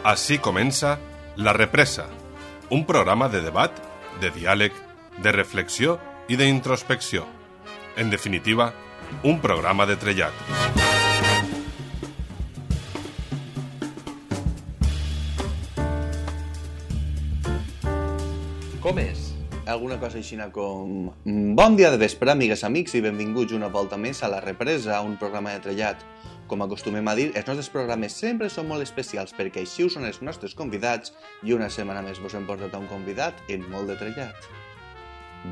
Així comença La Represa, un programa de debat, de diàleg, de reflexió i d'introspecció. En definitiva, un programa de trellat. Com és? Alguna cosa així com... Bon dia de vespre, amigues, amics, i benvinguts una volta més a La Represa, un programa de trellat. Com acostumem a dir, els nostres programes sempre són molt especials perquè així ho són els nostres convidats i una setmana més vos hem portat a un convidat en molt de trellat.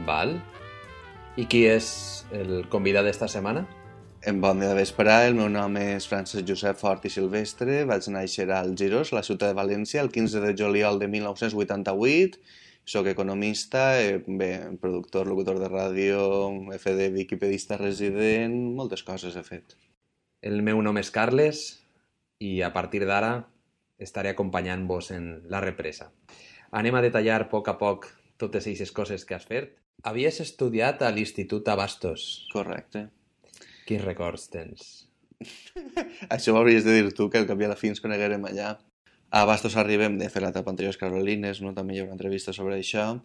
Val. I qui és el convidat d'esta setmana? En bon dia de vespre, el meu nom és Francesc Josep Fort i Silvestre, vaig néixer al Girós, a la ciutat de València, el 15 de juliol de 1988. Soc economista, productor, locutor de ràdio, he fet de wikipedista resident, moltes coses he fet. El meu nom és Carles i a partir d'ara estaré acompanyant-vos en La Represa. Anem a detallar a poc totes aquestes coses que has fet. Havies estudiat a l'Institut Abastos. Correcte. Quins records tens? Això ho hauries de dir tu, que al cap i a la fi ens coneguerem allà. A Bastos arribem de fer l'etapa anterior Carolines, no? També hi ha una entrevista sobre això.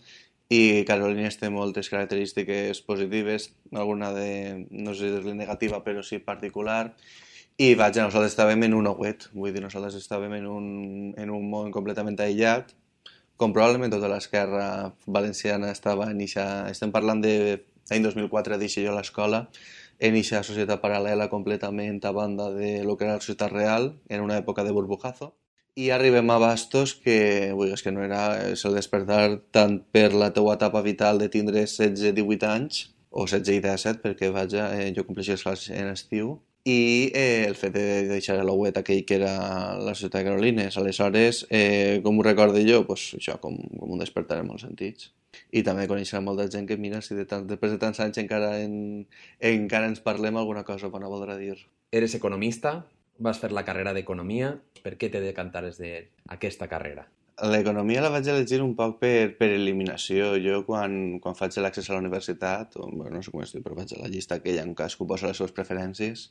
I Carolines té moltes característiques positives, alguna de, no sé dir-li negativa, però sí particular. I vaja, nosaltres estàvem en un ouet, vull dir, nosaltres estàvem en un món completament aïllat, com probablement tota l'esquerra valenciana estava en eixa... Estem parlant de l'any 2004, deixo jo a l'escola, en eixa societat paral·lela completament a banda de lo que era la societat real, en una època de burbujazo. I arribem a Bastos, que és que no era el despertar tant per la teua etapa vital de tindre 16-18 anys, o 16 i 17, perquè vaja, jo compleixo les classes en estiu, i el fet de deixar l'ouet aquell que era la ciutat de Carolines. Aleshores, com ho recordo jo? Pues això, com un despertar en molts sentits. I també conèixer molta gent que, mira, si després de tants anys encara ens parlem, alguna cosa bona voldrà dir. Eres economista, vas fer la carrera d'Economia. Per què te decantares d'aquesta carrera? L'economia la vaig elegir un poc per eliminació. Jo, quan faig l'accés a la universitat, no sé com es diu, però vaig a la llista aquella en cas que posa les seves preferències,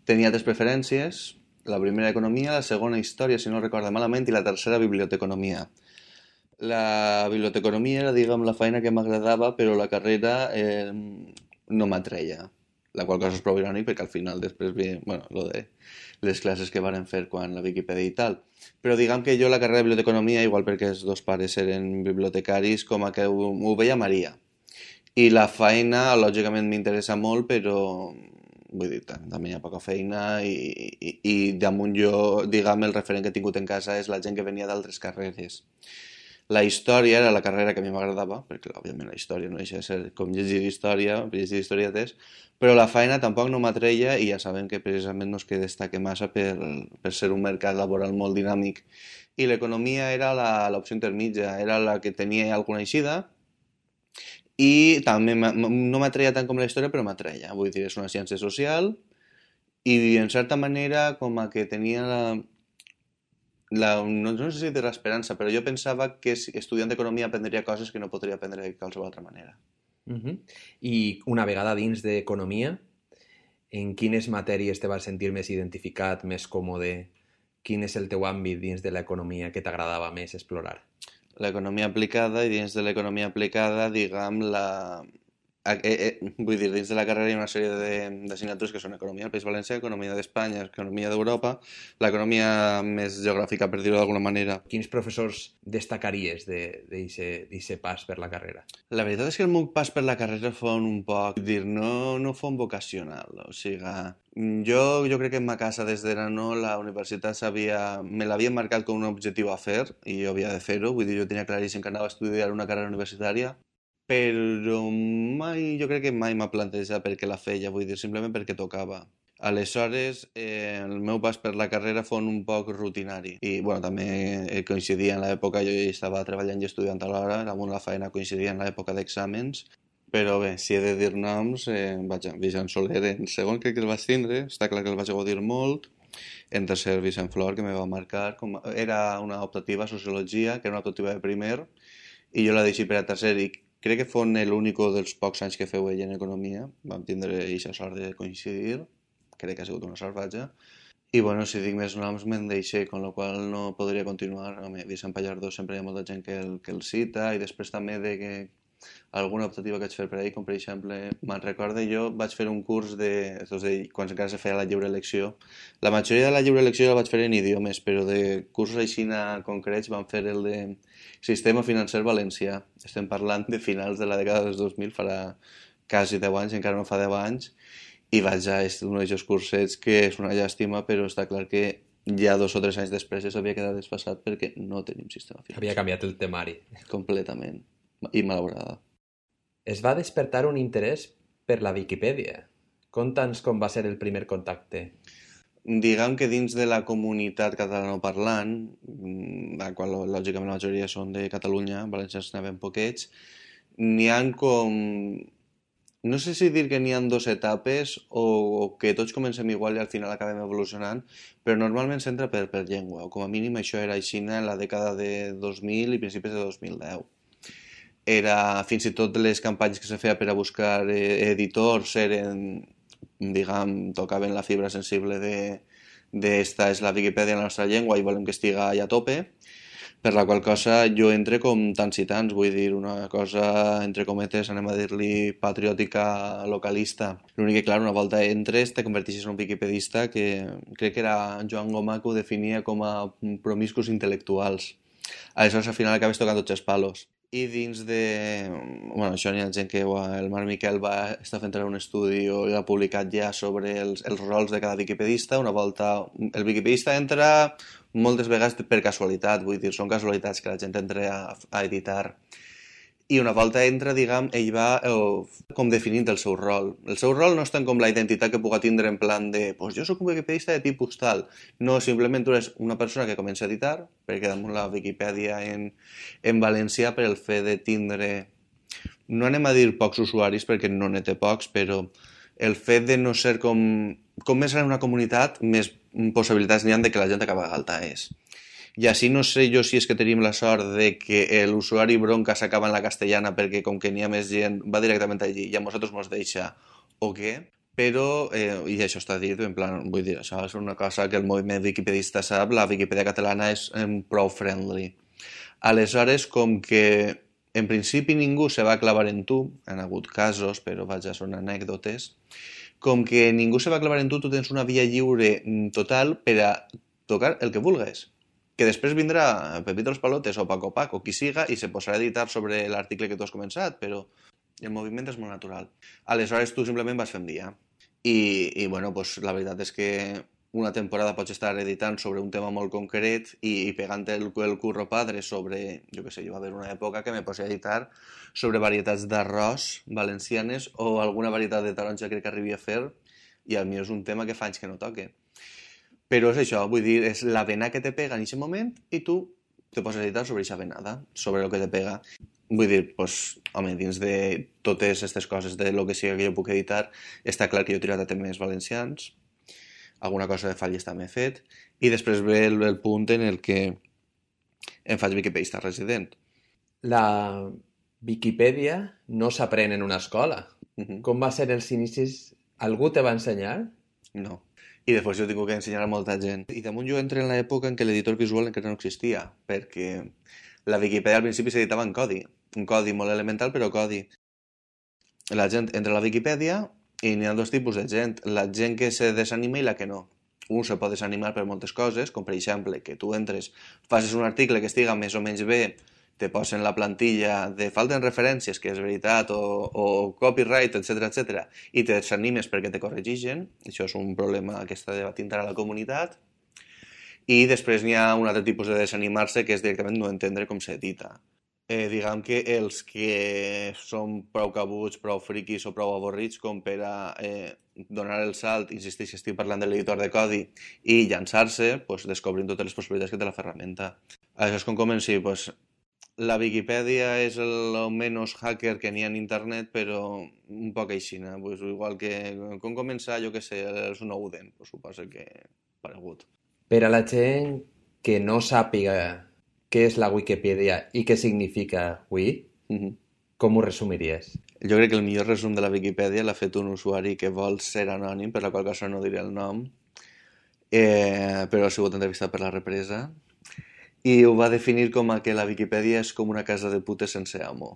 tenia 3 preferències, la primera Economia, la segona Història, si no recordo malament, i la tercera Biblioteconomia. La Biblioteconomia era, diguem, la feina que m'agradava, però la carrera no m'atreia. La qual cosa és prou irònic perquè al final després ve, lo de les classes que varen fer quan la Wikipedia i tal. Però diguem que jo la carrera de biblioteconomia, igual perquè els dos pares eren bibliotecaris, com a que ho veia Maria. I la feina, lògicament, m'interessa molt, però vull dir, també hi ha poca feina i damunt jo, diguem, el referent que he tingut en casa és la gent que venia d'altres carreres. La història era la carrera que a mi m'agradava, perquè òbviament la història no deixa de ser com llegir historietes, però la feina tampoc no m'atreia i ja sabem que precisament no es que destaque massa per ser un mercat laboral molt dinàmic. I l'economia era l'opció intermitja, era la que tenia alguna eixida i també no m'atreia tant com la història, però m'atreia. Vull dir, és una ciència social i en certa manera com a que tenia no sé si de l'esperança, però jo pensava que estudiant d'economia aprendria coses que no podria aprendre de qualsevol altra manera. I una vegada dins d'economia, en quines matèries te vas sentir més identificat, més còmode? Quin és el teu àmbit dins de l'economia que t'agradava més explorar? L'economia aplicada, i dins de l'economia aplicada, diguem, vull dir, dins de la carrera hi ha una sèrie d'assignatures que són economia del País Valencià, economia d'Espanya, economia d'Europa, l'economia més geogràfica, per dir-ho d'alguna manera. Quins professors destacaries d'aquest pas per la carrera? La veritat és que el meu pas per la carrera fou un poc, no fou un vocacional, o sigui, jo crec que en ma casa des de no la universitat me l'havia marcat com un objectiu a fer i jo havia de fer-ho, vull dir, jo tenia claríssim que anava a estudiar una carrera universitària, però jo crec que mai m'ha plantejat perquè la feia, vull dir, simplement perquè tocava. Aleshores, el meu pas per la carrera fou un poc rutinari i, també coincidia en l'època, jo estava treballant i estudiant alhora, damunt la feina coincidia en l'època d'exàmens, però bé, si he de dir noms, Vicent Soler en segon crec que el vaig tindre, està clar que el vaig gaudir molt, en tercer Vicent Flor, que me va marcar, era una optativa a Sociologia, que era una optativa de primer, i jo la deixi per a tercer i crec que fou l'únic dels pocs anys que feu ell en economia, vam tindre aquesta sort de coincidir, crec que ha sigut una sort, vaja, I bueno, si dic més noms me'n deixé, con la qual no podria continuar. Home, Vicent Pallardó sempre hi ha molta gent que el cita, i després també de que alguna optativa que vaig fer per ahir, com per exemple, me'n recorde jo, vaig fer un curs quan encara se feia la lliure elecció. La majoria de la lliure elecció la vaig fer en idiomes, però de cursos així concrets vam fer el de Sistema Financer Valencià. Estem parlant de finals de la dècada dels 2000, farà quasi 10 anys, encara no fa 10 anys, i vaig a un d'aquests cursets que és una llàstima, però està clar que ja 2 o 3 anys després ja s'havia quedat desfasat perquè no tenim sistema financer. Havia canviat el temari. Completament. I malaurada. Es va despertar un interès per la Viquipèdia. Conta'ns com va ser el primer contacte. Diguem que dins de la comunitat catalanoparlant, la qual lògicament la majoria són de Catalunya, valencians n'hi ha ben poquets, n'hi ha com... No sé si dir que n'hi ha 2 etapes o que tots comencem igual i al final acabem evolucionant, però normalment s'entra per llengua, o com a mínim això era així en la dècada de 2000 i principis de 2010. Era fins i tot les campanyes que se feia per a buscar editors eren, diguem, tocaven la fibra sensible de esta és la Viquipèdia en la nostra llengua i volem que estiga allà a tope, per la qual cosa jo entre com tants i tants, vull dir, una cosa, entre cometes, anem a dir-li patriòtica localista. L'únic que, clar, una volta entres, te converteixes en un viquipedista que crec que era Joan Gomà que ho definia com a promiscus intel·lectuals. Aleshores, al final acabes tocant tots els palos. I dins de... Bueno, això n'hi ha gent que el Marc Miquel va estar fent un estudi i l'ha publicat ja sobre els rols de cada viquipedista. Una volta el viquipedista entra moltes vegades per casualitat, vull dir, són casualitats que la gent entra a editar. I una volta entra, diguem, ell va com definint el seu rol. El seu rol no és tant com la identitat que puga tindre en plan de pues jo soc un viquipedista de tipus tal. No, simplement tu eres una persona que comença a editar, perquè damunt la Viquipèdia en valencià per el fet de tindre, no anem a dir pocs usuaris perquè no n'hi té pocs, però el fet de no ser com més gran una comunitat, més possibilitats n'hi ha de que la gent acabi a galtaes. I així no sé jo si és que tenim la sort de que l'usuari bronca s'acaba en la castellana perquè com que n'hi ha més gent va directament allí i a nosaltres mos deixa o què, però, i això està dit, en plan, vull dir, això és una cosa que el moviment wikipedista sap, la Viquipèdia catalana és prou friendly. Aleshores, com que en principi ningú se va clavar en tu, han hagut casos, però vaja, són anècdotes, com que ningú se va clavar en tu tens una via lliure total per a tocar el que vulgues. Que després vindrà Pepito los Palotes o Paco Pac o qui siga i se posarà a editar sobre l'article que tu has començat, però el moviment és molt natural. Aleshores tu simplement vas fent via. I bueno, pues, la veritat és que una temporada pots estar editant sobre un tema molt concret i pegant el curro padre sobre, jo què sé, jo va haver una època que me posia a editar sobre varietats d'arròs valencianes o alguna varietat de taronja crec que arribi a fer i el meu és un tema que fa anys que no toque. Però és això, vull dir, és la vena que te pega en aquest moment i tu te poses a editar sobre aquesta venada, sobre el que te pega. Vull dir, pues, home, dins de totes aquestes coses de lo que sigui que jo puc editar, està clar que jo he tirat a temes valencians, alguna cosa de falles també he fet, i després ve el punt en el que em faig viquipedista resident. La Viquipèdia no s'aprèn en una escola. Com va ser els inicis? Algú te va ensenyar? No. I després jo he tingut que ensenyar a molta gent. I damunt jo entré en l'època en què l'editor visual encara no existia, perquè la Viquipèdia al principi s'editava en codi, un codi molt elemental, però codi. La gent entra a la Viquipèdia i n'hi ha 2 tipus de gent, la gent que se desanima i la que no. Un se pot desanimar per moltes coses, com per exemple que tu entres, facis un article que estiga més o menys bé, te posen la plantilla de falten referències, que és veritat, o copyright, etc, i te desanimes perquè te corregigen. Això és un problema que està debatint ara la comunitat. I després n'hi ha un altre tipus de desanimar-se, que és directament no entendre com s'edita. Diguem que els que són prou cabuts, prou friquis o prou avorrits com per a donar el salt, insisteix que estic parlant de l'editor de codi, i llançar-se, pues, descobrint totes les possibilitats que té la ferramenta. Això és com comenci, pues, la Viquipèdia és el menys hacker que n'hi ha en internet, però un poc aixina. Pues igual que com començar, jo què sé, el Snowden, pues suposo que paregut. Per a la gent que no sàpiga què és la Wikipedia i què significa Wii, com ho resumiries? Jo crec que el millor resum de la Viquipèdia l'ha fet un usuari que vol ser anònim, per la qual cosa no diré el nom, però ha sigut entrevistat per La Represa i ho va definir com a que la Viquipèdia és com una casa de putes sense amo.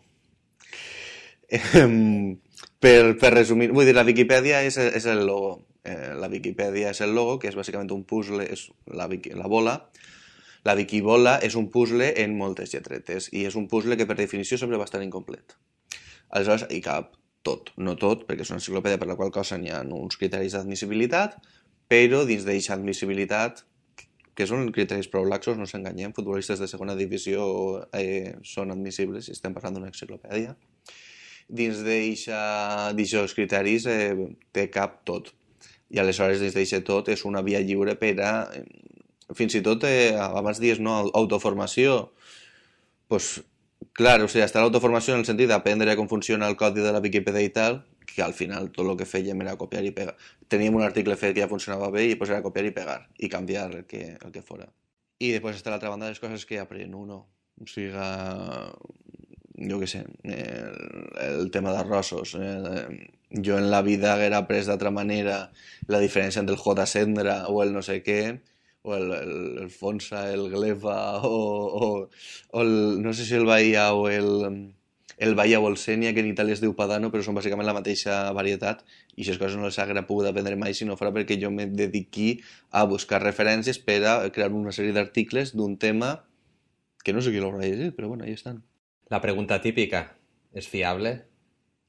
Per resumir, vull dir, la Viquipèdia és el logo. La Viquipèdia és el logo, que és bàsicament un puzzle, és la bola. La Wikibola és un puzzle en moltes lletretes i és un puzzle que per definició sempre va estar incomplet. Aleshores hi cap tot, no tot, perquè és una enciclopèdia per la qual cosa n'hi ha uns criteris d'admissibilitat, però dins d'aquesta admissibilitat, que són criteris prou laxos, no s'enganyem, futbolistes de segona divisió són admissibles si estem parlant d'una enciclopèdia. Dins d'aquests criteris té cap tot. I aleshores dins d'aquest tot és una via lliure per a, fins i tot abans dies no, autoformació, pues, clar, o sigui, està l'autoformació en el sentit d'aprendre com funciona el codi de la Viquipèdia i tal, que al final tot el que fèiem era copiar i pegar. Teníem un article fet que ja funcionava bé i pues era copiar i pegar i canviar el que fora. I després està l'altra banda de les coses que aprèn uno. O sigui, jo què sé, el tema d'arrossos. Jo en la vida haguera après d'altra manera la diferència entre el J. Sendra o el no sé què, o el Fonsa, el Gleva, o el, no sé si el Bahia o el Bahia Bolsenia, que en Itàlia es diu Padano, però són bàsicament la mateixa varietat, i aquestes coses no les haguera pogut aprendre mai si no fora perquè jo me dediqui a buscar referències per a crear una sèrie d'articles d'un tema que no sé qui l'haurà llegit, però bueno, ahí estan. La pregunta típica, és fiable?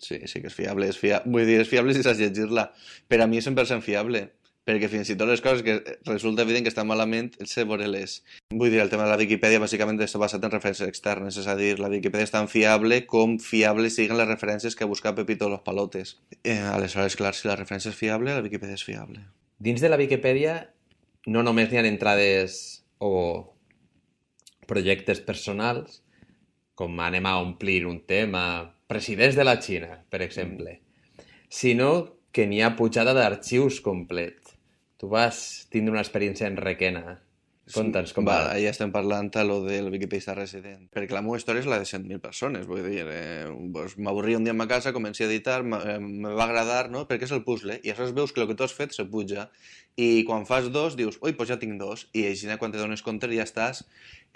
Sí que és fiable, vull dir, és fiable si saps llegir-la. Per a mi és 100% fiable, perquè fins i tot les coses que resulta evident que estan malament, sé veure-les. Vull dir, el tema de la Viquipèdia bàsicament està basat en referències externes, és a dir, la Viquipèdia és tan fiable com fiables siguin les referències que ha buscat Pepito los Palotes. Aleshores, clar, si la referència és fiable, la Viquipèdia és fiable. Dins de la Viquipèdia no només n'hi ha entrades o projectes personals, com anem a omplir un tema, presidents de la Xina, per exemple, sinó que n'hi ha pujada d'arxius complet. Tu vas tindre una experiència en Requena. Conta'ns com va. Ja estem parlant a lo del Wikipedista resident. Perquè la meva història és la de 100.000 persones. Vull dir, m'avorria un dia a ma casa, comencé a editar, me va agradar, no? Perquè és el puzzle. I aleshores veus que el que tu has fet se puja. I quan fas dos, dius, ui, doncs ja tinc dos. I així, quan te dones compte, ja estàs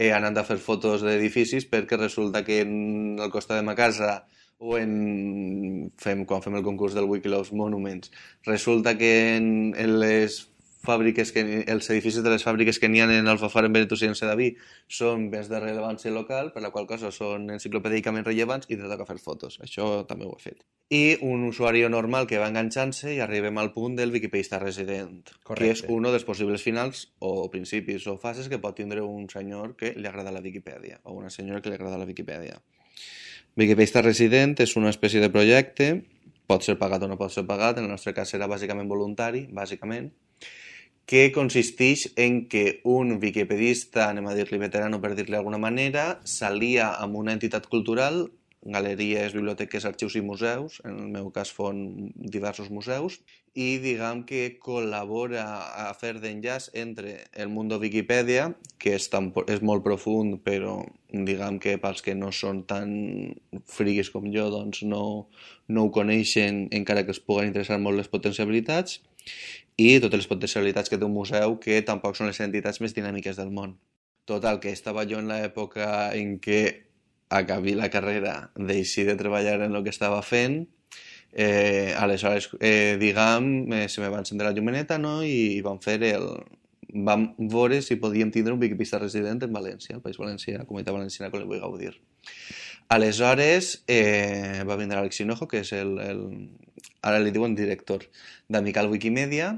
anant a fer fotos d'edificis perquè resulta que al costat de ma casa o quan fem el concurs del Wikiloves Monuments, resulta que en les fàbriques els edificis de les fàbriques que n'hi ha en Alfafar, en Benetús i en Sedaví són béns de rellevància local, per la qual cosa són enciclopèdicament rellevants i te toca fer fotos. Això també ho he fet. I un usuari normal que va enganxant-se i arribem al punt del Wikipedista resident, correcte, que és un dels possibles finals o principis o fases que pot tindre un senyor que li agrada la Viquipèdia o una senyora que li agrada la Viquipèdia. Wikipedista resident és una espècie de projecte, pot ser pagat o no pot ser pagat, en el nostre cas serà bàsicament voluntari, bàsicament, que consisteix en que un wikipedista, anem a dir-li veterano per dir-li d'alguna manera, s'alia amb una entitat cultural, galeries, biblioteques, arxius i museus, en el meu cas fon diversos museus, i diguem que col·labora a fer d'enllaç entre el món de Viquipèdia, que és molt profund, però diguem que pels que no són tan friguis com jo, doncs no ho coneixen, encara que es puguen interessar molt les potencialitats, i totes les potencialitats que té un museu, que tampoc són les entitats més dinàmiques del món. Total, que estava jo en l'època en què acabé la carrera, deixi de treballar en el que estava fent, aleshores, diguem, se me va encendre la llumeneta, no? I vam veure si podíem tindre un wikipedista resident en València, el País Valencià, la Comunitat Valenciana, com li vull gaudir. Aleshores, va vindre Alex Hinojo, que és ara li diuen director d'Amical Wikimedia,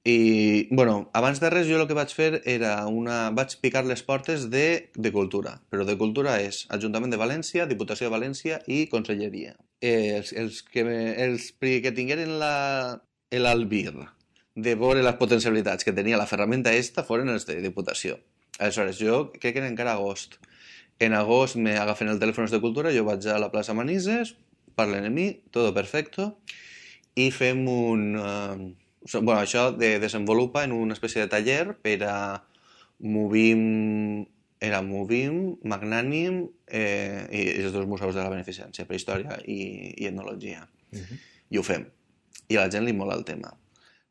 i, bueno, abans de res jo el que vaig fer era vaig picar les portes de cultura, però de cultura és Ajuntament de València, Diputació de València i Conselleria. Els que tingueren l'albir de veure les potencialitats que tenia la ferramenta foren els de Diputació. Aleshores, jo crec que era encara agost. En agost me agafen el telèfon de cultura, jo vaig a la plaça Manises, parlen amb mi, tot perfecto, i fem bueno, això desenvolupa en una espècie de taller per a Movim, Magnànim i els dos museus de la beneficència, per història i etnologia. I ho fem. I a la gent li mola el tema.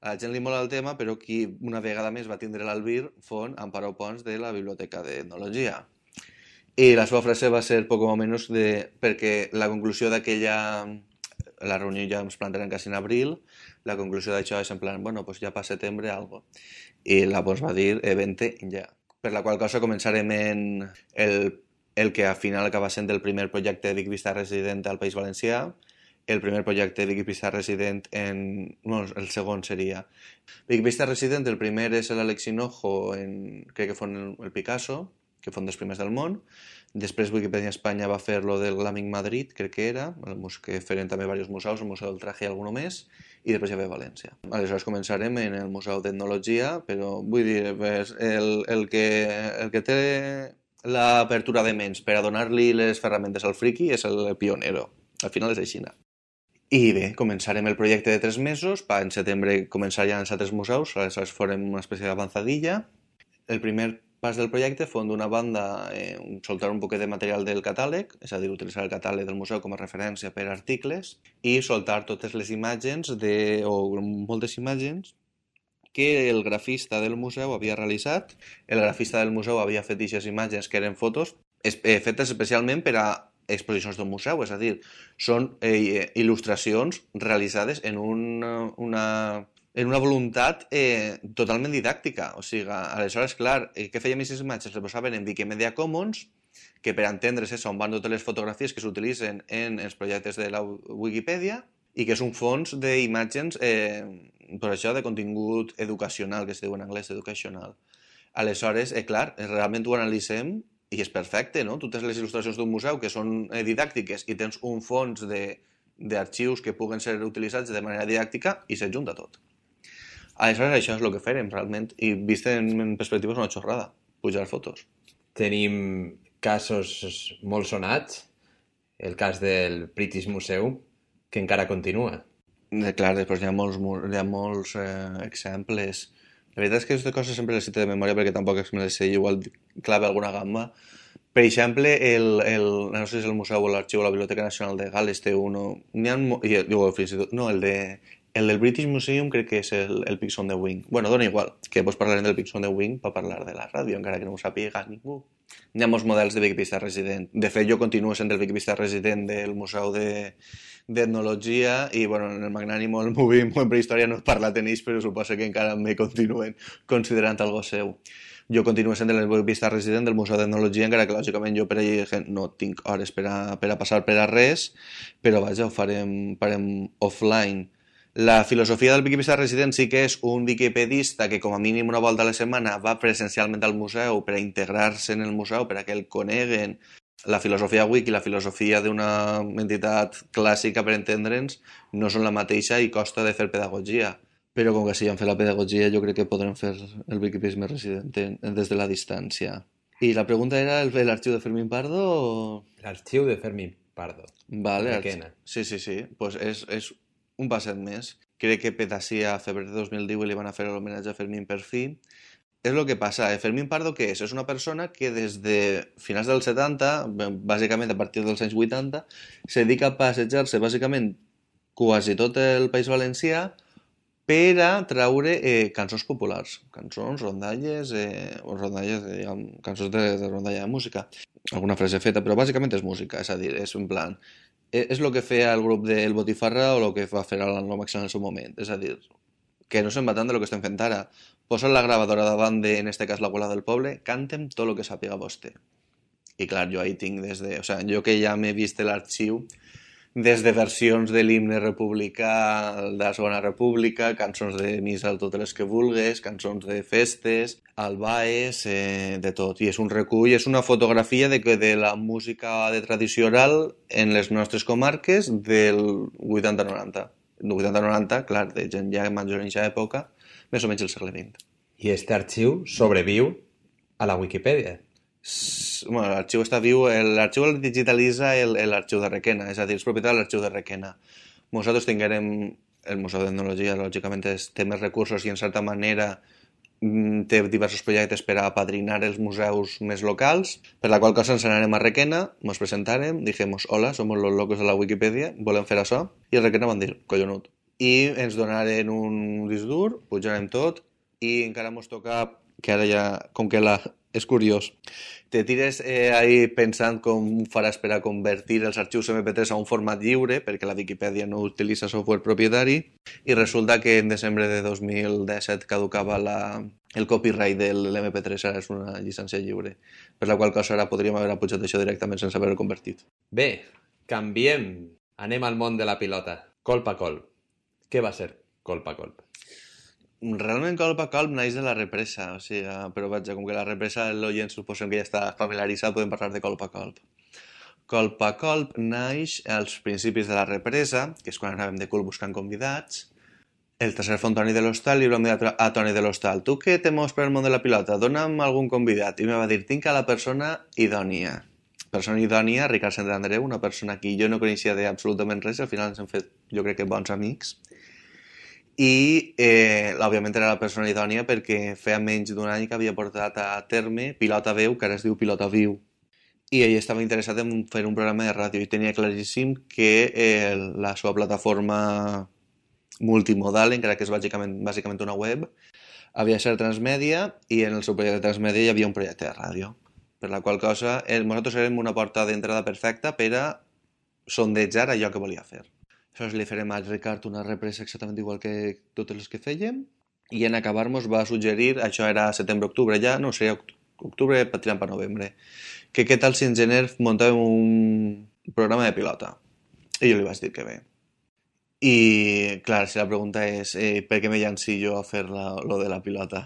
A la gent li mola el tema, però qui una vegada més va tindre l'Albir font Amparo Pons de la Biblioteca d'Etnologia. I la seva frase va ser poc o menys perquè la conclusió d'aquella... La reunió ja ens plantarem quasi en abril, la conclusió d'això és en plan, bueno, pues ja per setembre algo. I la Pons va dir, vente ja. Per la qual cosa començarem en el que al final acaba sent el primer projecte de Vic Vista Resident al País Valencià. El primer projecte de Vic Vista Resident el segon seria Vic Vista Resident, el primer és l'Àlex Hinojo, crec que fon el Picasso, que fon dels primers del món. Després Wikipedia Espanya va fer lo del Glamic Madrid, crec que era, que feren també diversos museus, el Museu del Traje i alguno més, i després ja ve València. Aleshores començarem en el Museu d'Etnologia, però vull dir, el que té l'apertura de ments per a donar-li les ferramentes al friki és el pionero. Al final és així. I bé, començarem el projecte de 3 mesos, en setembre començaran els altres museus, aleshores farem una espècie d'avançadilla. El primer pas del projecte fon d'una banda soltar un poquet de material del catàleg, és a dir, utilitzar el catàleg del museu com a referència per a articles i soltar totes les imatges o moltes imatges que el grafista del museu havia realitzat. El grafista del museu havia fet aquestes imatges que eren fotos fetes especialment per a exposicions d'un museu, és a dir, són il·lustracions realitzades en una voluntat totalment didàctica. O sigui, aleshores, clar, què fèiem aquestes imatges? Les posaven en Wikimedia Commons, que per entendre's és on van totes les fotografies que s'utilitzen en els projectes de la Wikipedia i que és un fons d'imatges, per això, de contingut educacional, que es diu en anglès educational. Aleshores, clar, realment ho analitzem i és perfecte, no? Totes les il·lustracions d'un museu que són didàctiques i tens un fons d'arxius que puguen ser utilitzats de manera didàctica i s'adjunta tot. Aleshores, això és el que farem, realment, i vist en perspectiva és una xorrada, pujar fotos. Tenim casos molt sonats, el cas del British Museum, que encara continua. Clar, després hi ha molts exemples. La veritat és que aquestes coses sempre les cito de memòria perquè tampoc me les sé, igual clave alguna gamba. Per exemple, no sé si és el museu o l'arxiu o la Biblioteca Nacional de Gal·les té uno... El del British Museum crec que és el Pigs on the Wing. Bueno, dona igual, que doncs parlarem del Pigs on the Wing per parlar de la ràdio, encara que no ho sàpiga ningú. Hi ha molts models de Vic Vista Resident. De fet, jo continuo sent el Vic Vista Resident del Museu d'Etnologia i, bueno, en el Magnànim o el Movim o en Prehistòria no he parlat en ells, però suposo que encara me continuen considerant algo seu. Jo continuo sent el Vic Vista Resident del Museu d'Etnologia, encara que, lògicament, jo per allà no tinc hores per a passar per a res, però, vaja, ho farem offline. La filosofia del Vic Vista Resident sí que és un wikipedista que com a mínim una volta a la setmana va presencialment al museu per a integrar-se en el museu, per a que el coneguen. La filosofia wiki i la filosofia d'una entitat clàssica, per entendre'ns, no són la mateixa i costa de fer pedagogia. Però com que si han fet la pedagogia jo crec que podrem fer el Wikipedia Resident des de la distància. I la pregunta era l'arxiu de Fermín Pardo o...? L'arxiu de Fermín Pardo. Vale, sí. Pues és un passet més. Crec que Petasia a febrer de 2010 li van a fer l'homenatge a Fermín per fi. És el que passa. Fermín Pardo què és? És una persona que des de finals dels 70, bàsicament a partir dels anys 80, se dedica a passejar-se bàsicament quasi tot el País Valencià per a traure cançons populars, cançons, rondalles, cançons de rondalla de música. Alguna frase feta, però bàsicament és música, és a dir, és en plan... És el que feia el grup del Botifarra o el que va fer l'Anomax en el seu moment. És a dir, que no se'n va tant del que estem fent ara. Posa la gravadora davant de, en este cas, l'Abuela del Poble, cantem tot el que sàpiga vostè. I clar, jo ahí tinc des de... O sea, jo que ja m'he vist l'arxiu, des de versions de l'himne republicà, de la Segona República, cançons de missa, totes les que vulgues, cançons de festes, albaes, de tot. I és un recull, és una fotografia de la música de tradició oral en les nostres comarques del 80-90. El 80-90, clar, de gent ja major en aquesta època, més o menys el segle XX. I aquest arxiu sobreviu a la Wikipedia. Bueno, l'arxiu està viu, l'arxiu el digitalitza l'arxiu de Requena, és a dir, és propietat de l'arxiu de Requena. Nosaltres tinguérem el Museu d'Etnologia, lògicament té més recursos i en certa manera té diversos projectes per a apadrinar els museus més locals, per la qual cosa ens anarem a Requena, ens presentarem, dijemos, hola, somos los locos de la Wikipedia, volem fer això, i a Requena van dir, collonut. i ens donaren un disc dur, pujarem tot i encara mos toca, que ara ja, com que és curiós, te tires ahí pensant com faràs per a convertir els arxius MP3 a un format lliure, perquè la Viquipèdia no utilitza software propietari, i resulta que en desembre de 2017 caducava el copyright de l'MP3, ara és una llicència lliure, per la qual cosa ara podríem haver pujat això directament sense haver-ho convertit. Bé, canviem. Anem al món de la pilota. Colp a colp. Què va ser colp a colp? Realment colp a colp naix de la represa, o sigui, però vaja, com que la represa l'oient suposem que ja està familiaritzat, podem parlar de colp a colp. Colp a colp naix als principis de la represa, que és quan anàvem de cul buscant convidats. El tercer fon Toni de l'Hostal i vam dir a Toni de l'Hostal: tu què te mous per el món de la pilota? Dona'm algun convidat. I em va dir: tinc a la persona idònia. Persona idònia, Ricard Santandreu, una persona que jo no coneixia d'absolutament res, al final ens hem fet, jo crec que bons amics. I, òbviament, era la persona idònia perquè feia menys d'un any que havia portat a terme Pilota Veu, que ara es diu Pilota Viu. I ell estava interessat en fer un programa de ràdio i tenia claríssim que la seva plataforma multimodal, encara que és bàsicament una web, havia de ser transmèdia i en el seu projecte de transmèdia hi havia un projecte de ràdio. Per la qual cosa, nosaltres érem una porta d'entrada perfecta per a sondejar allò que volia fer. Aleshores li farem a Ricard una represa exactament igual que totes les que fèiem i en acabar-nos va suggerir, això era setembre-octubre ja, no sé, octubre tirant per novembre, que què tal si en gener muntàvem un programa de pilota. I jo li vaig dir que bé. I, clar, si la pregunta és per què me llanci jo a fer lo de la pilota?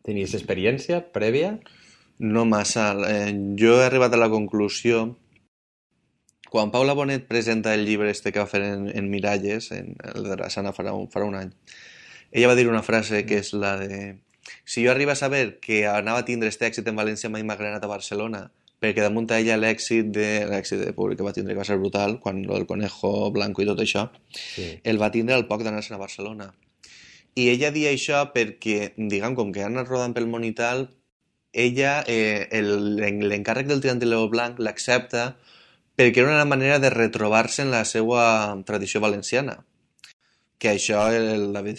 Tenies experiència prèvia? No massa. Jo he arribat a la conclusió, quan Paula Bonet presenta el llibre que va fer en Miralles, el de Rassana farà un any, ella va dir una frase que és la de: si jo arriba a saber que anava a tindre este èxit en València mai m'ha granat a Barcelona, perquè damunt a ella l'èxit de públic que va tindre, que va ser brutal, quan el Conejo Blanco i tot això, sí, el va tindre al poc d'anar-se'n a Barcelona. I ella dia això perquè, diguem, com que ha anat rodant pel món i tal, ella, l'encàrrec del Tirant de Lleó Blanc l'accepta perquè era una manera de retrobar-se en la seva tradició valenciana. Que això el David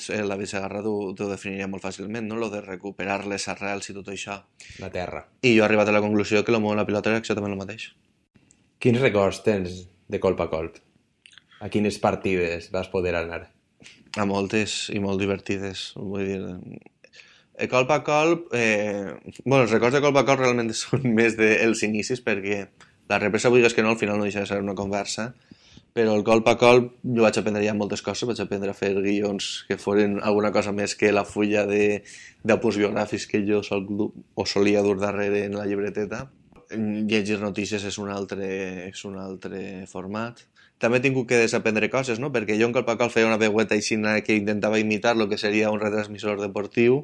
Segarra ho definiria molt fàcilment, no? Lo de recuperar les arrels i tot això. La terra. I jo he arribat a la conclusió que el món de la pilota era exactament el mateix. Quins records tens de colp a colp? A quines partides vas poder anar? A moltes i molt divertides, vull dir. Colp a colp, els records de colp a colp realment són més dels inicis, perquè la represa, vulguis que no, al final no deixa de ser una conversa, però el colp a colp jo vaig aprendre ja moltes coses, vaig aprendre a fer guions que foren alguna cosa més que la fulla d'apunts biogràfics que jo solia dur darrere en la llibreteta. Llegir notícies és un altre format. També he tingut que desaprendre coses, no? Perquè jo en colp a colp feia una veueta aixina que intentava imitar el que seria un retransmissor deportiu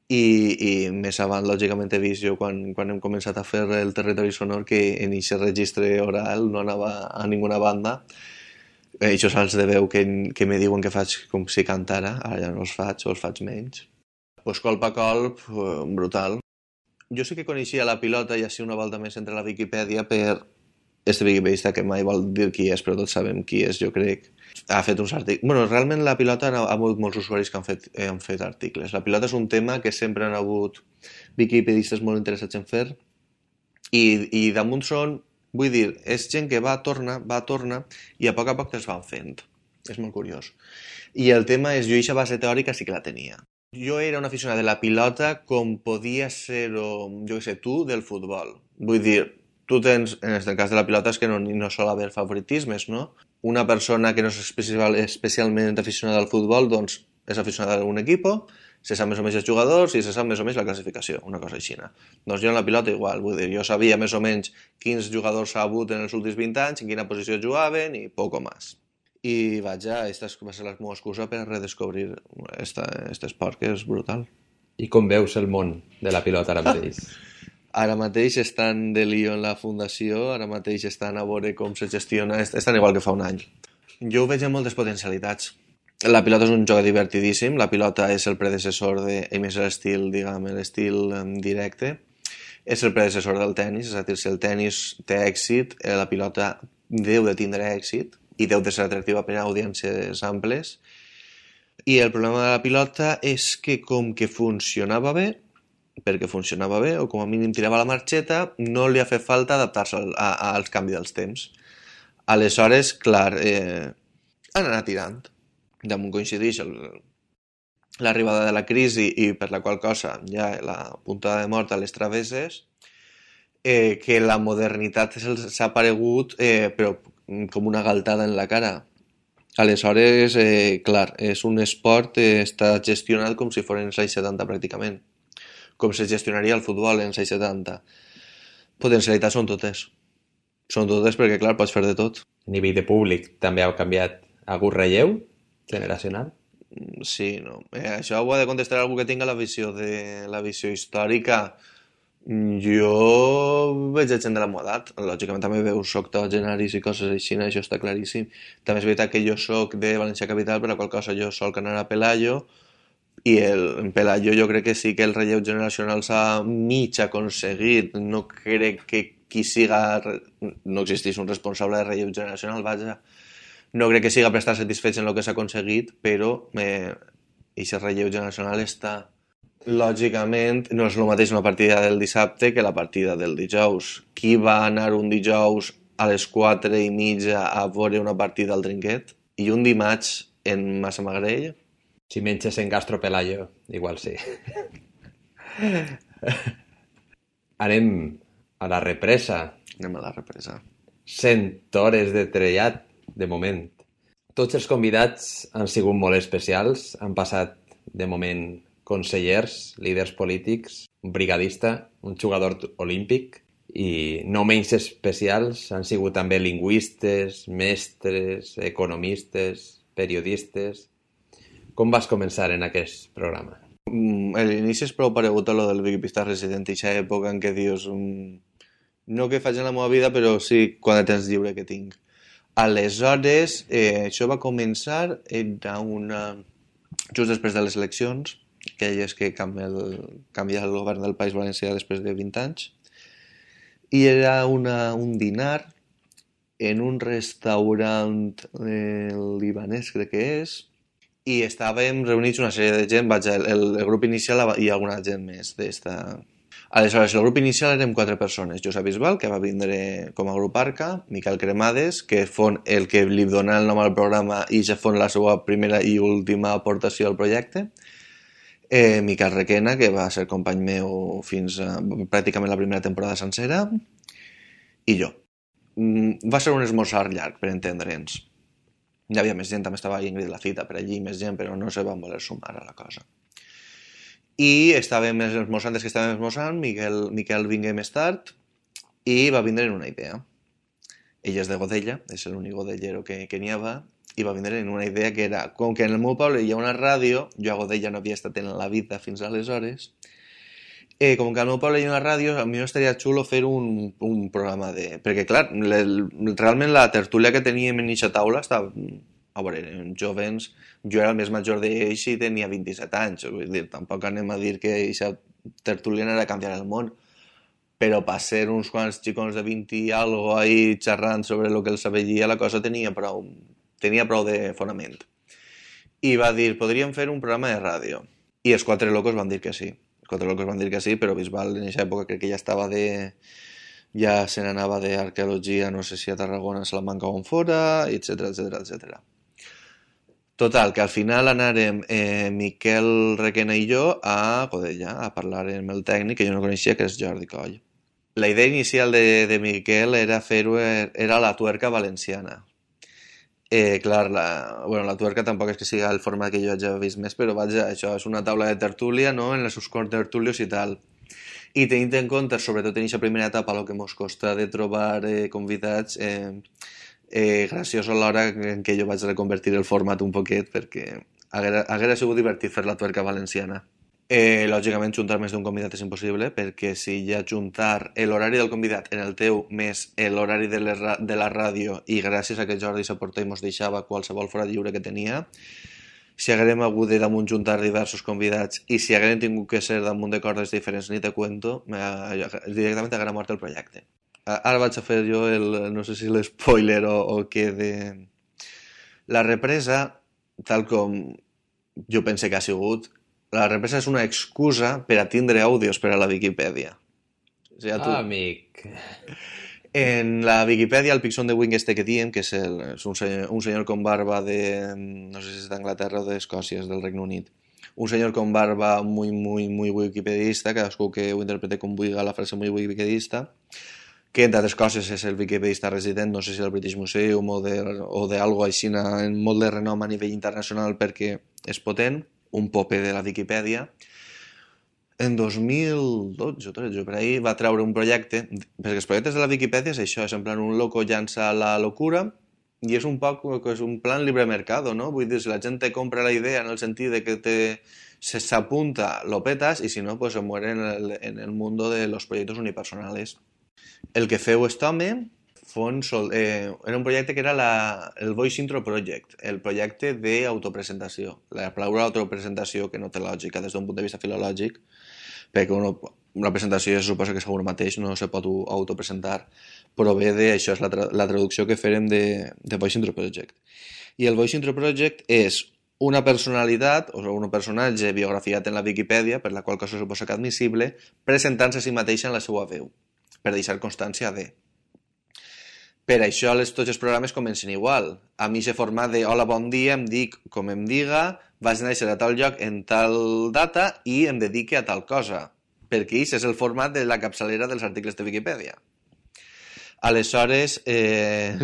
i més avant, lògicament, he vist jo quan hem començat a fer el territori sonor que en aquest registre oral no anava a ninguna banda. Això salts de veu que me diuen que faig com si cantara, ara ja no els faig o els faig menys. Pues colp a colp, brutal. Jo sí que coneixia la pilota i així una volta més entre la Viquipèdia per este viquipedista que mai vol dir qui és, però tots sabem qui és, jo crec. Ha fet uns articles. Bueno, realment la pilota ha hagut molts usuaris que han fet articles. La pilota és un tema que sempre han hagut viquipedistes molt interessats en fer i damunt són, vull dir, és gent que torna i a poc te'ls van fent. És molt curiós. I el tema és, jo aquesta base teòrica sí que la tenia. Jo era un aficionat de la pilota com podia ser-ho, jo què sé, tu, del futbol. Vull dir, tu tens, en el cas de la pilota és que no sol haver favoritismes, no? Una persona que no és especialment aficionada al futbol, doncs és aficionada a un equip, se sap més o menys els jugadors i se sap més o menys la classificació, una cosa així. Doncs jo en la pilota igual, vull dir, jo sabia més o menys quins jugadors s'ha hagut en els últims 20 anys, en quina posició jugaven i poco més. I vaja, aquesta va ser la meva excusa per redescobrir aquest esport que és brutal. I com veus el món de la pilota ara mateix? Ara mateix estan de lío en la fundació, ara mateix estan a veure com se gestiona, estan igual que fa un any. Jo ho veig amb moltes potencialitats. La pilota és un joc divertidíssim, la pilota és el predecessor més l'estil, diguem, l'estil directe, és el predecessor del tennis, és a dir, si el tennis té èxit, la pilota deu de tindre èxit, i deu de ser atractiva per a audiències amples. I el problema de la pilota és que com que funcionava bé, perquè funcionava bé, o com a mínim tirava la marxeta, no li ha fet falta adaptar-se als canvis dels temps. Aleshores, clar, han anat tirant. Damunt coincideix l'arribada de la crisi i per la qual cosa ja la puntada de mort a les travesses, que la modernitat s'ha aparegut però com una galtada en la cara. Aleshores, clar, és un esport que està gestionat com si fos en els anys 70 pràcticament, com se gestionaria el futbol en els anys 70. Potencialitats són totes. Són totes perquè, clar, pots fer de tot. A nivell de públic també ha canviat. Ha hagut relleu generacional? Sí, no. Això ho ha de contestar algú que tinga la visió històrica. Jo veig gent de la meva edat. Lògicament també veus octogenaris i coses així, això està claríssim. També és veritat que jo soc de València Capital, per la qual cosa jo solc anar a Pelayo, i en Pelayo jo crec que sí que el relleu generacional s'ha mig aconseguit. No crec que qui siga... No existeix un responsable de relleu generacional, vaja. No crec que siga per estar satisfets en el que s'ha aconseguit, però aquest relleu generacional està... Lògicament, no és el mateix una partida del dissabte que la partida del dijous. Qui va anar un dijous a les 4:30 a veure una partida al Trinquet? I un dimarts en Massamagrell? Si menges en Gastro Pelayo, igual sí. Anem a la represa. Anem a la represa. 100 hores de trellat, de moment. Tots els convidats han sigut molt especials. Han passat, de moment, consellers, líders polítics, un brigadista, un jugador olímpic, i no menys especials han sigut també lingüistes, mestres, economistes, periodistes. Com vas començar en aquest programa? L'inici és prou paregut a lo del Vicky Resident, aquesta època en què dius no que faig en la meva vida, però sí quan de temps lliure que tinc. Aleshores, això va començar just després de les eleccions, aquelles que canvia el govern del País Valencià després de 20 anys, i era un dinar en un restaurant libanès, crec que és, i estàvem reunits una sèrie de gent, el grup inicial i alguna gent més d'esta. Aleshores, el grup inicial érem 4 persones. Josep Bisbal, que va vindre com a grup Arca, Miquel Cremades, que fon el que li dona el nom al programa i ja fon la seva primera i última aportació al projecte, Miquel Requena, que va ser company meu fins a pràcticament la primera temporada sencera, i jo. Va ser un esmorzar llarg, per entendre'ns. Hi havia més gent, també estava Ingrid Lacita per allí, més gent, però no se van voler sumar a la cosa. I estàvem esmorzant, Miquel vingué més tard i va vindre en una idea. Ell és de Godella, és l'únic godellero que n'hi havia, i va vindre en una idea que era, com que en el meu poble hi ha una ràdio, jo a Godella no havia estat en la vida fins aleshores, com que al meu poble hi ha una ràdio, a mi estaria xulo fer un programa de... Perquè, clar, realment la tertúlia que teníem en eixa taula estava... A veure, eren jovens, jo era el més major d'ells i tenia 27 anys, vull dir, tampoc anem a dir que eixa tertúlia era canviar el món, però per ser uns quants xicons de 20 i algo ahí xerrant sobre el que els avellia, la cosa tenia prou de fonament. I va dir, podríem fer un programa de ràdio. I els 4 locos van dir que sí. Però Bisbal en aquesta època crec que ja estava ja se n'anava d'arqueologia, no sé si a Tarragona, a Salamanca o on fora, etc. Total, que al final anàrem Miquel Requena i jo a Godella a parlar amb el tècnic que jo no coneixia, que és Jordi Coll. La idea inicial de Miquel era fer-ho, era la tuerca valenciana. Clar, la tuerca tampoc és que siga el format que jo hagi vist més, però vaja, això és una taula de tertúlia, no?, en els seus tertulios i tal. I tenint en compte, sobretot en aquesta primera etapa, el que ens costa de trobar convidats, graciós a l'hora en què jo vaig reconvertir el format un poquet, perquè haguera sigut divertit fer la tuerca valenciana. Lògicament, juntar més d'un convidat és impossible, perquè si ja juntar l'horari del convidat en el teu més l'horari de la ràdio, i gràcies a que Jordi s'aporta i mos deixava qualsevol fora lliure que tenia, si haguérem hagut de damunt juntar diversos convidats i si haguérem tingut que ser damunt de cordes diferents, ni te cuento, directament haguera mort el projecte. Ara vaig a fer jo no sé si l'espoiler o què La represa, tal com jo pense que ha sigut, la represa és una excusa per a tindre àudios per a la Viquipèdia. O sigui, amic. En la Viquipèdia, el Pixon de Wing este que diem, que és un senyor con barba de, no sé si és d'Anglaterra o d'Escòcia, és del Regne Unit. Un senyor con barba muy wikipedista, cadascú que ho interprete com vulgui la frase muy wikipedista, que entre altres coses és el wikipedista resident, no sé si del British Museum o d'algo així en molt de renom a nivell internacional perquè és potent, un pope de la Viquipèdia. En 2012 o 13, per ahí, va treure un projecte, perquè els projectes de la Viquipèdia és això, és en plan un loco llança la locura i és un poc, és un plan libre mercado, no? Vull dir, si la gent te compra la idea en el sentit de que s'apunta, lo petas, i si no, pues se muere en el mundo de los proyectos unipersonales. El que feu este home era un projecte que era el Voice Intro Project, el projecte d'autopresentació. La paraula autopresentació, que no té lògica des d'un punt de vista filològic, perquè una presentació se suposa que segur mateix no se pot autopresentar, però ve d'això, és la traducció que farem de Voice Intro Project. I el Voice Intro Project és una personalitat, o un personatge biografiat en la Viquipèdia, per la qual cosa suposa que admissible, presentant-se a si mateixa en la seva veu, per deixar constància de. Per això tots els programes comencen igual. A mi s'ha format de hola, bon dia, em dic com em diga, vaig néixer a tal lloc en tal data i em dedique a tal cosa. Perquè aquest és el format de la capçalera dels articles de Viquipèdia. Aleshores,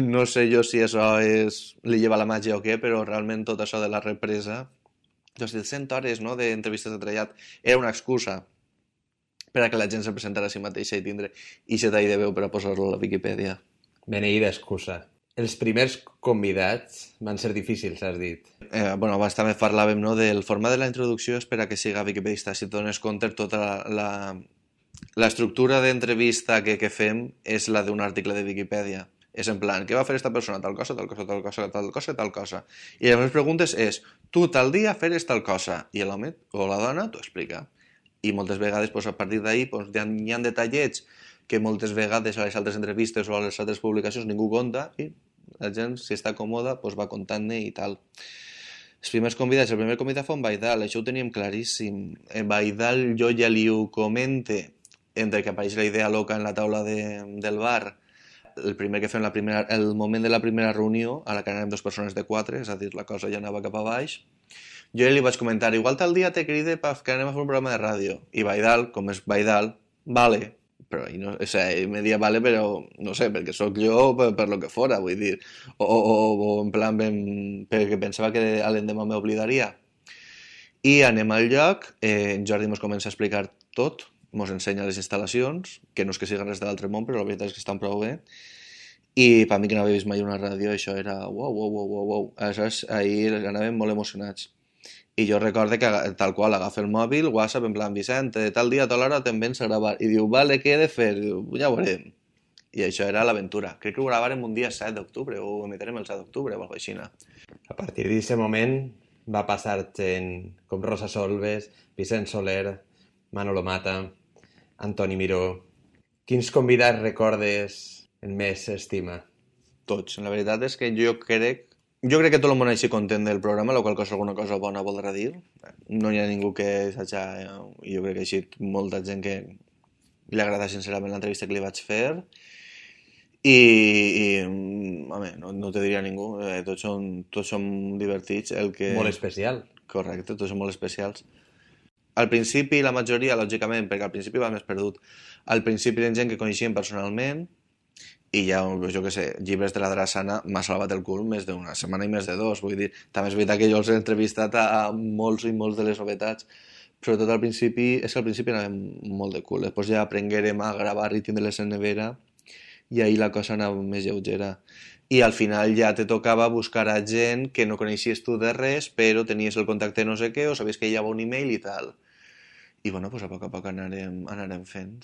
no sé jo si això li lleva la màgia o què, però realment tot això de la represa, les 100 hores d'entrevistes de trellat, era una excusa per a que la gent se presentara a si mateixa i tindre aquest tall de veu per a posar-lo a la Viquipèdia. Beneïda excusa. Els primers convidats van ser difícils, has dit. Abans també parlàvem del format de la introducció és per a que siga wikipedista. Si dones compte, tota l'estructura d'entrevista que fem és la d'un article de Viquipèdia. És en plan, què va fer esta persona? Tal cosa, tal cosa, tal cosa, tal cosa, tal cosa. I les meves preguntes és, tu tal dia feres tal cosa. I l'home o la dona t'ho explica. I moltes vegades, a partir d'ahir, hi ha detallets que moltes vegades a les altres entrevistes o a les altres publicacions ningú conta i la gent, si està còmoda, va contant-ne i tal. Els primers convidats, el primer convidat fou en Baidal, això ho teníem claríssim. En Baidal jo ja li ho comente, entre que apareix la idea loca en la taula del bar, el primer que fem el moment de la primera reunió, a la que anàvem 2 persones de 4, és a dir, la cosa ja anava cap a baix, jo li vaig comentar, igual tal dia te cride que anem a fer un programa de ràdio. I Baidal, com és Baidal, vale. Però me dia vale, però no sé, perquè sóc jo per lo que fora, vull dir, o en plan perquè pensava que l'endemà m'oblidaria. I anem al lloc, en Jordi ens comença a explicar tot, ens ensenya les instal·lacions, que no és que siguin res de l'altre món, però la veritat és que estan prou bé, i per mi que no havia vist mai una ràdio, això era uau. Aleshores, ahir anàvem molt emocionats. I jo recorde que tal qual agafa el mòbil, WhatsApp, en plan, Vicent, tal dia, a tal hora, te'n vens a gravar. I diu, vale, què he de fer? Diu, ja ho veurem. I això era l'aventura. Crec que ho gravarem un dia 7 d'octubre, o ho emetrem el 7 d'octubre, o alguna cosa així. A partir d'aquest moment va passar gent com Rosa Solves, Vicent Soler, Manolo Mata, Antoni Miró. Quins convidats recordes en més estima? Tots. La veritat és que jo crec que tot el món així content del programa, la qual cosa alguna cosa bona voldrà dir. No hi ha ningú que s'hagi... Jo crec que així molta gent que li agrada sincerament l'entrevista que li vaig fer. I home, no te diria ningú. Tots són divertits. Molt especial. Correcte, tots són molt especials. Al principi, la majoria, lògicament, perquè al principi va més perdut. Al principi eren gent que coneixíem personalment, i ja, jo què sé, llibres de la Drassana m'ha salvat el cul més d'una setmana i més de 2, vull dir, també és veritat que jo els he entrevistat a molts i molts de les novetats, però tot al principi, és que al principi anàvem molt de cul, després ja aprenguérem a gravar i tindre-les en nevera, i ahir la cosa anava més lleugera. I al final ja te tocava buscar a gent que no coneixies tu de res, però tenies el contacte no sé què, o sabies que hi havia un email i tal. I bueno, pues a poc anarem fent.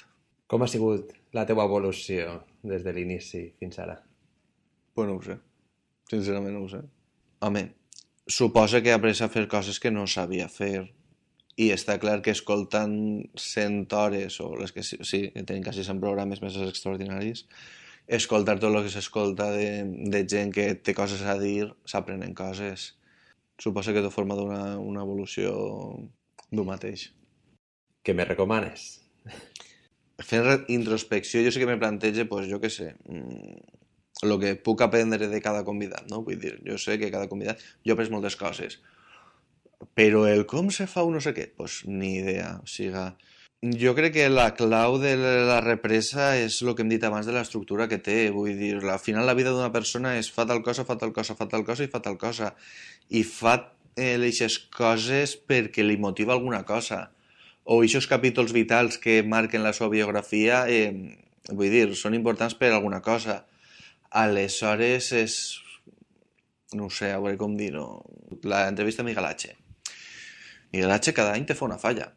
Com ha sigut la teva evolució des de l'inici fins ara? Pues no ho sé. Sincerament no ho sé. Home, suposa que he après a fer coses que no sabia fer. I està clar que escoltant 100 hores, o les que sí, tenim quasi 100 programes més extraordinaris, escoltar tot el que s'escolta de gent que té coses a dir, s'aprenen coses. Suposo que tot forma una evolució d'un mateix. Què me recomanes? Fent introspecció, jo sí que me plantejo, pues, jo què sé, el que puc aprendre de cada convidat, no? Vull dir, jo sé que cada convidat... Jo he après moltes coses, però el com se fa un no sé què, pues, ni idea. O sigui, jo crec que la clau de la represa és el que hem dit abans de l'estructura que té. Vull dir, al final la vida d'una persona és fa tal cosa, fa tal cosa, fa tal cosa i fa tal cosa. I fa aquestes coses perquè li motiva alguna cosa. O aquests capítols vitals que marquen la seva biografia, vull dir, són importants per alguna cosa. Aleshores és... No ho sé, a veure com dir-ho. L'entrevista a Miguel H. Miguel H cada any te fa una falla.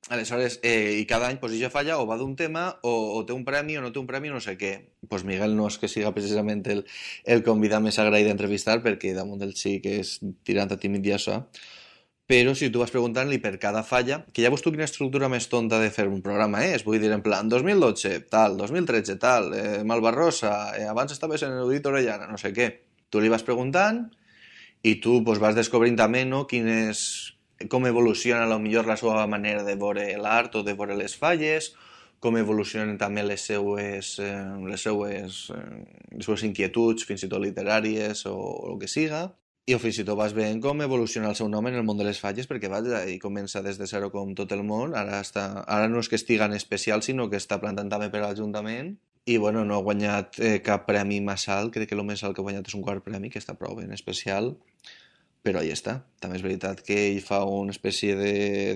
Aleshores, i cada any, pues, ja falla, o va d'un tema, o té un premi, o no té un premi, no sé què. Pues Miguel no és que siga precisament el convidat més agraït d'entrevistar, perquè damunt del sí que és tirant a tímid i això. Però si tu vas preguntant-li per cada falla, que ja veus tu quina estructura més tonta de fer un programa és, vull dir, en plan, 2012, tal, 2013, tal, Malvarrosa, abans estaves en Erudit Orellana, no sé què. Tu li vas preguntant i tu pues, vas descobrint també, no, com evoluciona a lo millor la seva manera de veure l'art o de veure les falles, com evolucionen també les seues inquietuds, fins i tot literàries o el que siga. I fins i tot vas veient com evoluciona el seu nom en el món de les falles, perquè vaja, i comença des de zero com tot el món, ara no és que estigui en especial, sinó que està plantant també per a l'Ajuntament, i bueno, no ha guanyat cap premi massa alt, crec que el més alt que ha guanyat és un quart premi, que està prou ben especial, però ahí està. També és veritat que ell fa una espècie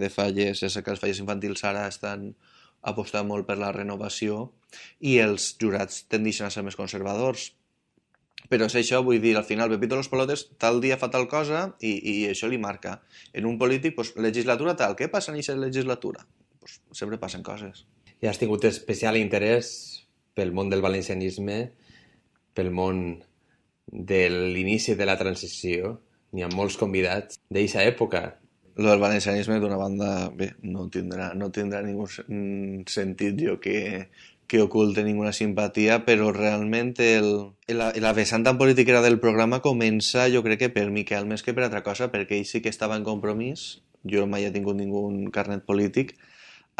de falles, és que les falles infantils ara estan apostant molt per la renovació, i els jurats tendeixen a ser més conservadors. Però és això, vull dir, al final Pepito Los Pelotes tal dia fa tal cosa i això li marca. En un polític, pues, legislatura tal, què passa en aquesta legislatura? Pues, sempre passen coses. I has tingut especial interès pel món del valencianisme, pel món de l'inici de la transició. N'hi ha molts convidats d'eixa època. Lo del valencianisme, d'una banda, bé, no tindrà ningú sentit jo que oculte ninguna simpatia, però realment la vessant tan política del programa comença, jo crec que per Miquel més que per altra cosa, perquè ell sí que estava en compromís, jo mai he tingut ningú carnet polític,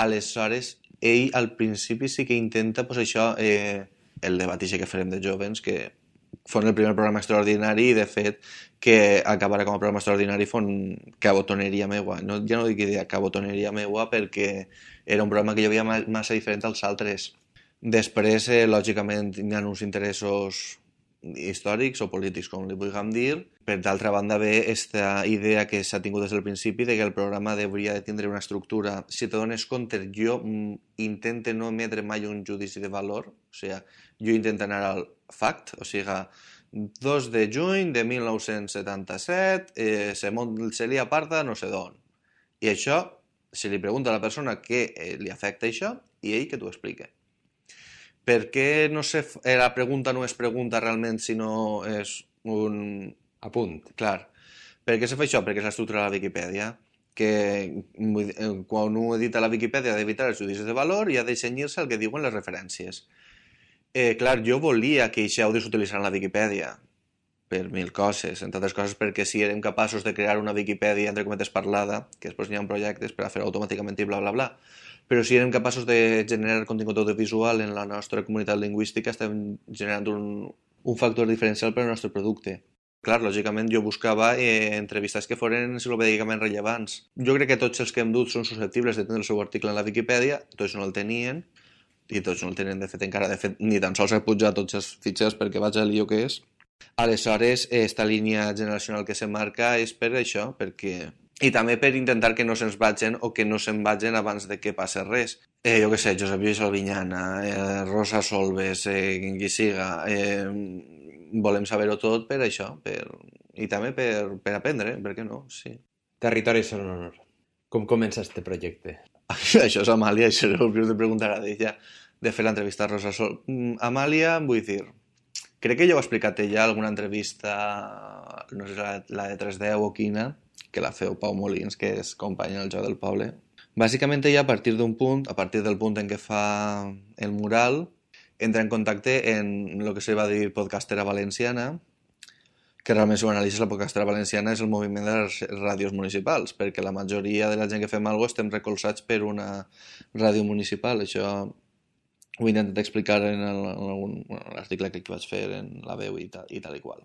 aleshores ell al principi sí que intenta, pues això, el debat que farem de jovens, que fon el primer programa extraordinari i de fet que acabarà com a programa extraordinari fon cabotoneria meua. No, ja no dic idea, cabotoneria meua perquè era un programa que jo veia massa diferent als altres. Després, lògicament, hi ha uns interessos històrics o polítics, com li vulguem dir. Per d'altra banda, ve aquesta idea que s'ha tingut des del principi de que el programa hauria de tindre una estructura. Si te dones compte, jo intento no emetre mai un judici de valor, o sigui, jo intento anar al fact, o sigui, 2 de juny de 1977, se li aparta no sé d'on. I això, si li pregunta a la persona què li afecta això, i ell que t'ho explica. Per què no sé, la pregunta no és pregunta realment, sinó és un apunt? Clar. Per què se fa això? Perquè és l'estructura de la Viquipèdia, que quan un edita la Viquipèdia ha d'evitar els judicis de valor i ha de cenyir-se al que diuen les referències. Clar, jo volia que això ho s'utilitzés en la Viquipèdia per 1000 coses, entre altres coses perquè si érem capaços de crear una Viquipèdia entre cometes parlada, que després n'hi ha projectes per a fer automàticament i bla bla bla, però si érem capaços de generar contingut audiovisual en la nostra comunitat lingüística estem generant un factor diferencial per al nostre producte. Clar, lògicament jo buscava entrevistes que foren enciclopèdicament rellevants. Jo crec que tots els que hem dut són susceptibles de tenir el seu article en la Viquipèdia, tots no el tenien, i tots no el tenen de fet encara, de fet ni tan sols he pujat tots els fitxers perquè vaig al lío que és. Aleshores, esta línia generacional que se marca és per això, perquè... I també per intentar que no se'ns vagin o que no se'n vagin abans de que passi res. Jo què sé, Josep Lluís Albinyana, Rosa Solves, qui siga, volem saber-ho tot per això, i també per aprendre, per què no? Sí. Territori sonor. Com comença este projecte? Això és Amàlia, això és el que us de preguntar a ella, de fer l'entrevista a Rosa Sol. Amàlia, vull dir, crec que ja ho ha explicat ella en alguna entrevista, no sé si la de 310 o quina, que la feu Pau Molins, que és companya del Joc del Poble. Bàsicament ella a partir del punt en què fa el mural, entra en contacte en el que se va dir podcastera valenciana, que realment si ho analitzes la podcastera valenciana és el moviment de les ràdios municipals, perquè la majoria de la gent que fem alguna cosa estem recolzats per una ràdio municipal. Això ho he intentat explicar en l'article que vaig fer en La Veu i tal i qual.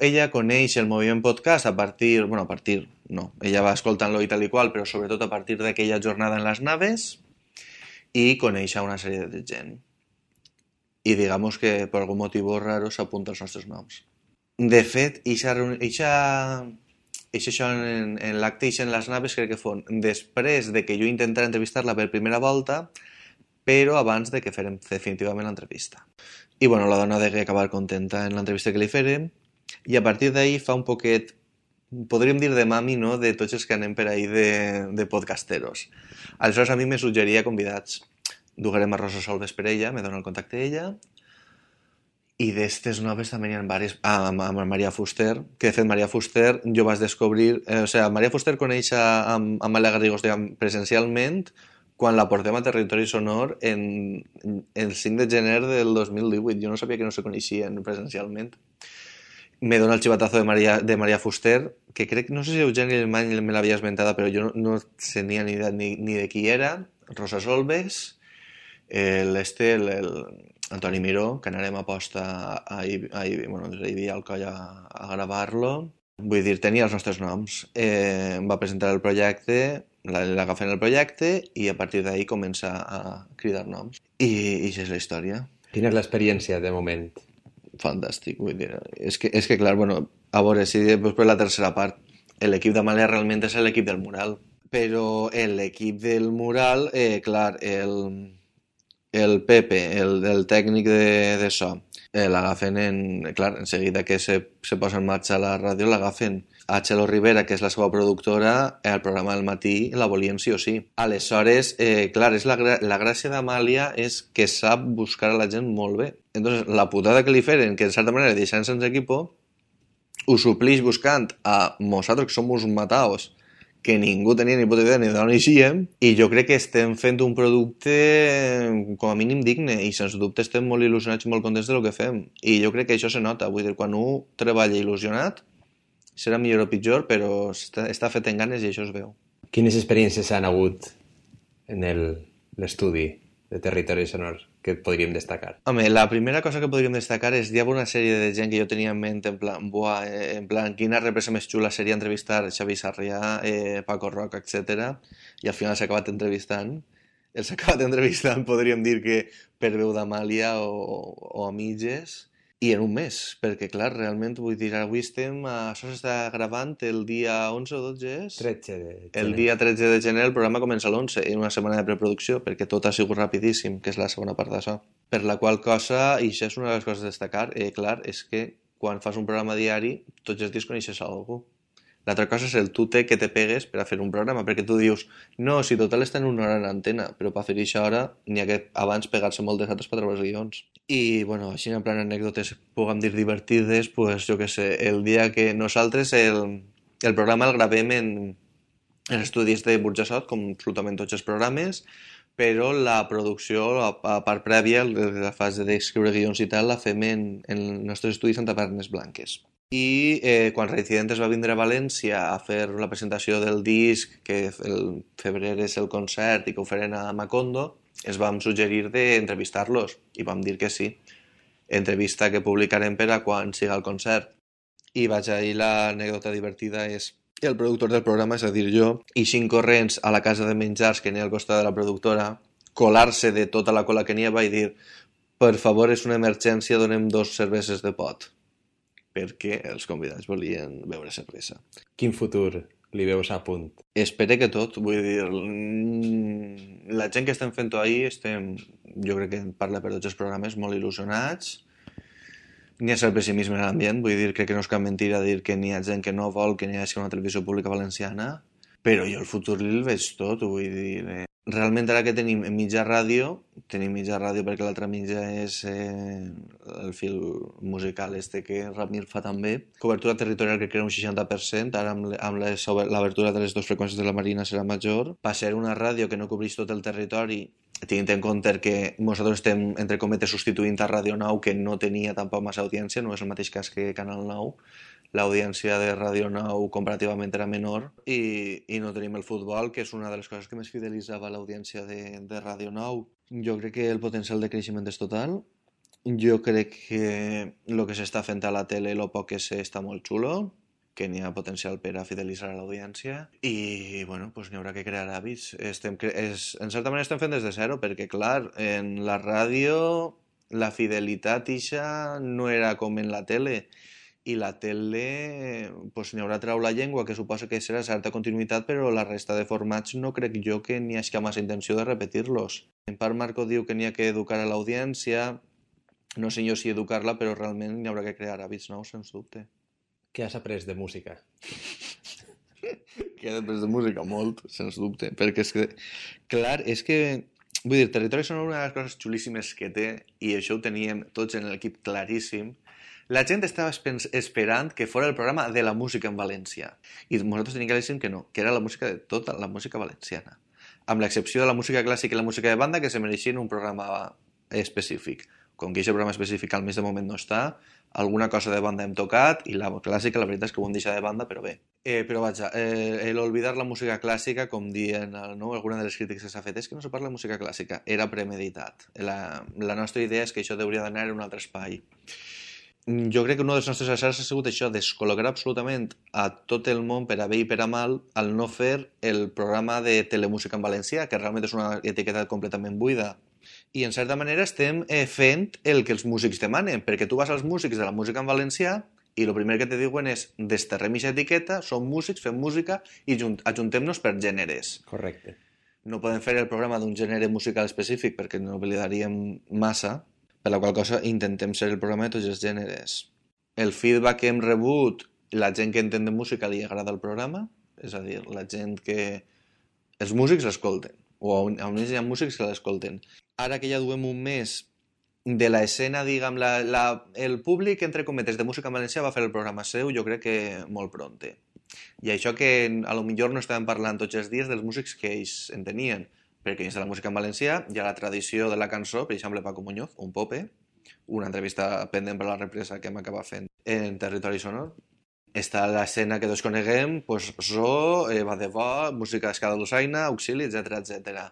Ella coneix el moviment podcast ella va escoltant-lo i tal i qual, però sobretot a partir d'aquella jornada en les naves, i coneix a una sèrie de gent. I digamos que per algun motiu raro s'apunta els nostres noms. De fet, això en l'acte i en les naves crec que fon després de que jo intentara entrevistar-la per primera volta, però abans de que fèrem definitivament l'entrevista. I bueno, la dona degué acabar contenta en l'entrevista que li fèrem, i a partir d'ahir fa un poquet, podríem dir de mami, no?, de tots els que anem per ahir de podcasteros. Aleshores a mi me suggeria convidats. Duguerem a Rosa Solves per ella, me dona el contacte d'ella, i d'estes noves també n'hi ha diverses, amb Maria Fuster, que de fet Maria Fuster jo vaig descobrir, Maria Fuster coneix a Amàlia Garrigós presencialment quan la portem a Territori Sonor el 5 de gener del 2018. Jo no sabia que no se coneixien presencialment. Me dona el xivatazo de Maria Fuster, que crec, no sé si Eugeni Alemany me l'havia esmentada, però jo no tenia ni idea ni de qui era. Rosa Solves, Antoni Miró, que anarem a posta ahir al coll a gravar-lo. Vull dir, tenia els nostres noms. Em va presentar el projecte, l'agafen el projecte, i a partir d'ahir comença a cridar noms. I això és la història. Quina és l'experiència de moment? Fantàstic, vull dir. És que clar, bueno, a veure, si després per la tercera part, l'equip d'Amàlia realment és l'equip del mural. Però l'equip del mural, clar, el Pepe, el tècnic de so, l'agafen en seguida que se posa en marxa la ràdio, l'agafen a Txelo Rivera, que és la seva productora, el programa del matí la volien sí o sí. Aleshores, clar, és la gràcia d'Amàlia és que sap buscar a la gent molt bé. Entonces, la putada que li feren, que en certa manera deixant sense equipo, ho suplix buscant a nosaltres, que som uns mataos, que ningú tenia ni puta idea ni d'on eixíem, i jo crec que estem fent un producte com a mínim digne, i sens dubte estem molt il·lusionats i molt contents del que fem, i jo crec que això se nota. Vull dir, quan un treballa il·lusionat serà millor o pitjor, però està fet en ganes i això es veu. Quines experiències han hagut en l'estudi de Territori Sonor que podríem destacar? Home, la primera cosa que podríem destacar és hi havia una sèrie de gent que jo tenia en ment en plan, quina represa més xula seria entrevistar Xavi Sarrià, Paco Roca, etc. I al final s'ha acabat entrevistant. Els ha acabat entrevistant, podríem dir que per veu d'Amàlia o a mitges, i en un mes, perquè clar, realment, vull dir, avui això s'està gravant el dia 11 o 12 és? 13 de gener. El dia 13 de gener el programa comença l'11, en una setmana de preproducció, perquè tot ha sigut rapidíssim, que és la segona part d'això. Per la qual cosa, i això és una de les coses a destacar, clar, és que quan fas un programa diari, tots els dies coneixes algú. L'altra cosa és el tute que te pegues per a fer un programa, perquè tu dius, no, si total estan una hora en antena, però per fer això hora n'hi ha que abans pegar-se moltes altres per treure els guions. I, bueno, així en plan anècdotes, puguem dir divertides, pues jo què sé, el dia que nosaltres el programa el gravem en estudis de Burjassot, com absolutament tots els programes, però la producció, a part prèvia, la fase d'escriure guions i tal, la fem en els nostres estudis Santa Pernes Blanques. I quan Reincidentes va vindre a València a fer la presentació del disc, que el febrer és el concert i que ho farem a Macondo, es vam suggerir d'entrevistar-los i vam dir que sí. Entrevista que publicarem per a quan siga el concert. I vaig ahir, l'anècdota divertida és el productor del programa, és a dir, jo, i 5 corrents a la casa de menjars que n'hi ha al costat de la productora, colar-se de tota la cola que n'hi havia i dir, per favor, és una emergència, donem 2 cerveses de pot, perquè els convidats volien beure cervesa. Quin futur li veus a punt? Espero que tot, vull dir, la gent que estem fent-ho ahir jo crec que parla per tots els programes, molt il·lusionats. N'hi ha cert pessimisme en l'ambient, vull dir, crec que no és cap mentira dir que n'hi ha gent que no vol que n'hi hagi una televisió pública valenciana, però jo el futur el veig tot, vull dir... Realment ara que tenim mitja ràdio perquè l'altra mitja és el fil musical que Ramir fa també. Cobertura territorial que crea un 60%, ara amb l'obertura de les 2 freqüències de la Marina serà major. Va ser una ràdio que no cobreix tot el territori, tenint en compte que nosaltres estem, entre cometes, substituint a Radio 9, que no tenia tampoc massa audiència, no és el mateix cas que Canal 9, l'audiència de Radio 9 comparativament era menor i no tenim el futbol, que és una de les coses que més fidelitzava l'audiència de Radio 9. Jo crec que el potencial de creixement és total. Jo crec que el que s'està fent a la tele, el poc que sé, està molt xulo, que n'hi ha potencial per a fidelitzar a l'audiència i, bueno, pues n'hi haurà que crear hàbits. En certa manera estem fent des de zero, perquè, clar, en la ràdio la fidelitat ixa no era com en la tele, i la tele pues, n'hi haurà trau la llengua, que suposa que serà certa continuïtat, però la resta de formats no crec jo que n'hi hagi massa intenció de repetir-los. En part, Marco diu que n'hi ha que educar a l'audiència, no sé jo si educar-la, però realment n'hi haurà que crear hàbits nous, sens dubte. Què has après de música? Que he après de música molt, sens dubte, perquè és que, clar, és que, vull dir, Territori Sonor, una de les coses xulíssimes que té, i això ho teníem tots en l'equip claríssim, la gent estava esperant que fos el programa de la música en valencià, i nosaltres teníem claríssim que no, que era la música de tota la música valenciana, amb l'excepció de la música clàssica i la música de banda, que se mereixien un programa específic. Com que aquest programa específic al mes de moment no està, alguna cosa de banda hem tocat i la clàssica la veritat és que ho hem deixat de banda, però bé. Però vaja, l'olvidar la música clàssica, com dient, no? Alguna de les crítiques que s'ha fet és que no se parla de música clàssica, era premeditat. La nostra idea és que això hauria d'anar en un altre espai. Jo crec que una de les nostres errors ha sigut això, descol·locar absolutament a tot el món per a bé i per a mal al no fer el programa de telemúsica en valencià, que realment és una etiqueta completament buida. I en certa manera estem fent el que els músics demanen, perquè tu vas als músics de la música en valencià i el primer que te diuen és desterrem aquesta etiqueta, som músics, fem música i ajuntem-nos per gèneres. Correcte. No podem fer el programa d'un gènere musical específic perquè no oblidaríem massa, per la qual cosa intentem ser el programa de tots els gèneres. El feedback que hem rebut, la gent que entén de música li agrada el programa, és a dir, la gent que... Els músics l'escolten, o almenys hi ha músics que l'escolten. Ara que ja duem un mes de l'escena, diguem, el públic, entre cometes, de música en valencià va fer el programa seu, jo crec que molt pronte. I això que a lo millor no estàvem parlant tots els dies dels músics que ells en tenien, perquè dins de la música en valencià hi ha la tradició de la cançó, per exemple Paco Muñoz, un pope, una entrevista pendent per la represa que hem acabat fent en Territori Sonor. Està l'escena que tots coneguem, pues, so, va de bo, música d'escala d'Usaina, auxili, etc.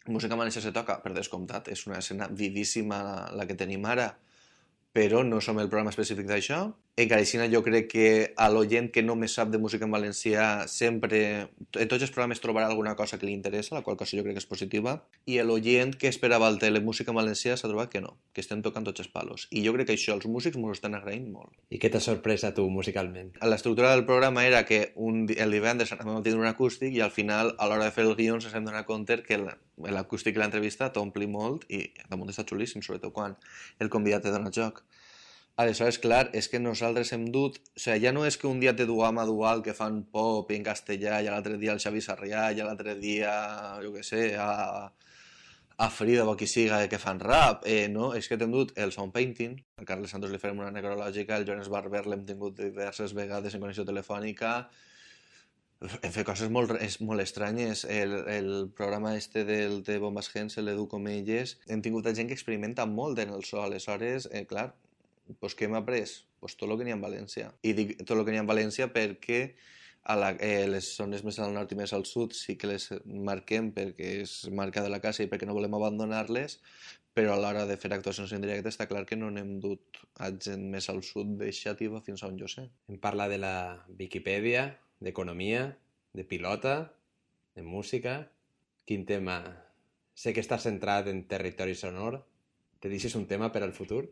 Música en valencià se toca, per descomptat, és una escena vivíssima la que tenim ara, però no som el programa específic d'això. Encara així, jo crec que a l'oient que només sap de música en valencià sempre, en tots els programes trobarà alguna cosa que li interessa, la qual cosa jo crec que és positiva, i l'oient que esperava el telemúsica en valencià s'ha trobat que no, que estem tocant tots els palos. I jo crec que això els músics m'ho estan agraint molt. I què t'ha sorprès a tu musicalment? L'estructura del programa era que el divendres anàvem a tenir un acústic i al final, a l'hora de fer el guió, ens hem donat compte que l'acústic i l'entrevista t'ompli molt i damunt està xulíssim, sobretot quan el convidat te dona joc. Aleshores, clar, és que nosaltres hem dut... O sigui, ja no és que un dia te duam a Dual que fan pop en castellà i l'altre dia el Xavi Sarrià i l'altre dia, jo què sé, a Frida o qui siga que fan rap, no? És que t'hem dut el Sound Painting, al Carles Santos li farem una necrològica, el Jones Barber l'hem tingut diverses vegades en connexió telefònica, hem fet coses molt estranyes. El programa este de Bombas Gens, l'Edu Comelles, hem tingut gent que experimenta molt en el so, aleshores, clar, pues què hem après? Pues tot el que n'hi ha en València. I dic tot el que n'hi ha en València perquè les zones més al nord i més al sud sí que les marquem perquè és marca de la casa i perquè no volem abandonar-les, però a l'hora de fer actuacions en directe està clar que no n'hem dut a gent més al sud de Xàtiva fins a on jo sé. Em parla de la Viquipèdia, d'economia, de pilota, de música... Quin tema? Sé que estàs centrat en Territori Sonor. Te deixes un tema per al futur?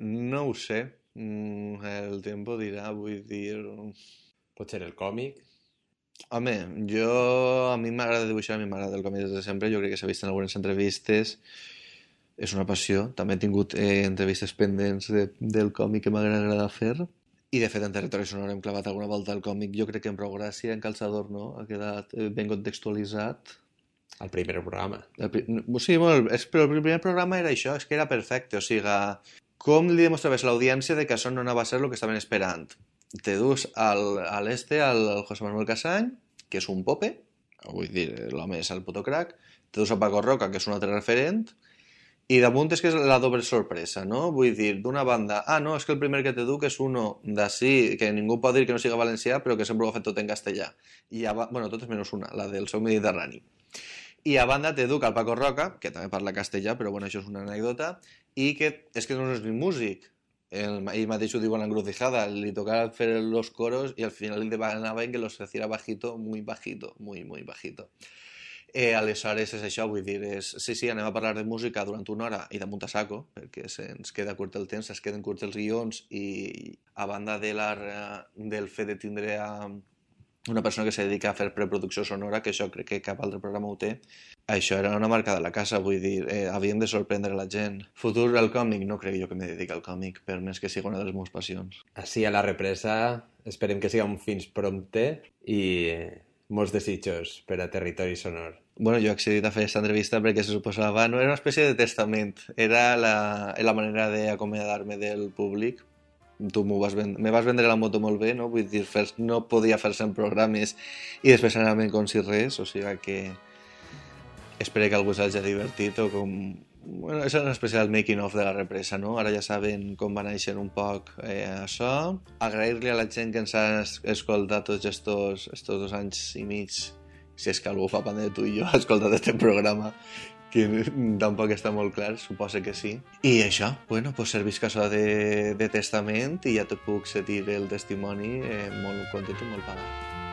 No ho sé. El tempo dirà, vull dir... Pot ser el còmic? Home, a mi m'agrada dibuixar, a mi m'agrada el còmic des de sempre, jo crec que s'ha vist en algunes entrevistes, és una passió, també he tingut entrevistes pendents del còmic que m'agrada fer, i de fet en Territori Sonor hem clavat alguna volta el còmic, jo crec que en prou gràcia, en calçador no, ha quedat ben contextualitzat. El primer programa. Sí, però el primer programa era això, és que era perfecte, o sigui, com li demostraves a l'audiència de que això no anava a ser el que estaven esperant? Te dus al José Manuel Casany, que és un pope, vull dir, l'home és el puto crack, té dos a Paco Roca, que és un altre referent, i damunt és que és la doble sorpresa, no? Vull dir, d'una banda, no, és que el primer que te duc és uno d'ací, que ningú pot dir que no siga valencià, però que sempre ho ha fet tot en castellà. Bueno, totes menys una, la del seu Mediterrani. I a banda te duc al Paco Roca, que també parla castellà, però bueno, això és una anècdota, i que és que no és ni músic. Ell mateix ho diu en l'encrucijada, li tocava fer los coros i al final li demanaven que los hiciera bajito, muy bajito, muy, muy bajito. Aleshores és això, vull dir, sí, anem a parlar de música durant una hora i damunt a saco, perquè se'ns queda curt el temps, es queden curts els guions i a banda del fet de tindre una persona que se dedica a fer preproducció sonora, que això crec que cap altre programa ho té, això era una marca de la casa, vull dir, havíem de sorprendre la gent. Futur al còmic, no crec jo que me dediqui al còmic, per més que sigui una de les meves passions. Així a la represa, esperem que siga un fins prompte i molts desitjos per a Territori Sonor. Bueno, jo he accedit a fer aquesta entrevista perquè se suposava, no era una espècie de testament, era la manera d'acomiadar-me del públic. Tu me vas vendre la moto molt bé, no? Vull dir, no podia fer 100 programes i després anar-me'n com si res, o sigui que espero que algú s'hagi divertit o com... Bueno, és una espècie del making of de la represa, no? Ara ja saben com va néixer un poc això. Agrair-li a la gent que ens ha escoltat tots estos 2 anys i mig, si és que algú fa pandèmia de tu i jo ha escoltat aquest programa, que tampoc està molt clar, suposa que sí. I això, bueno, pues servisc això de testament i ja te puc sentir el testimoni molt content i molt pagat.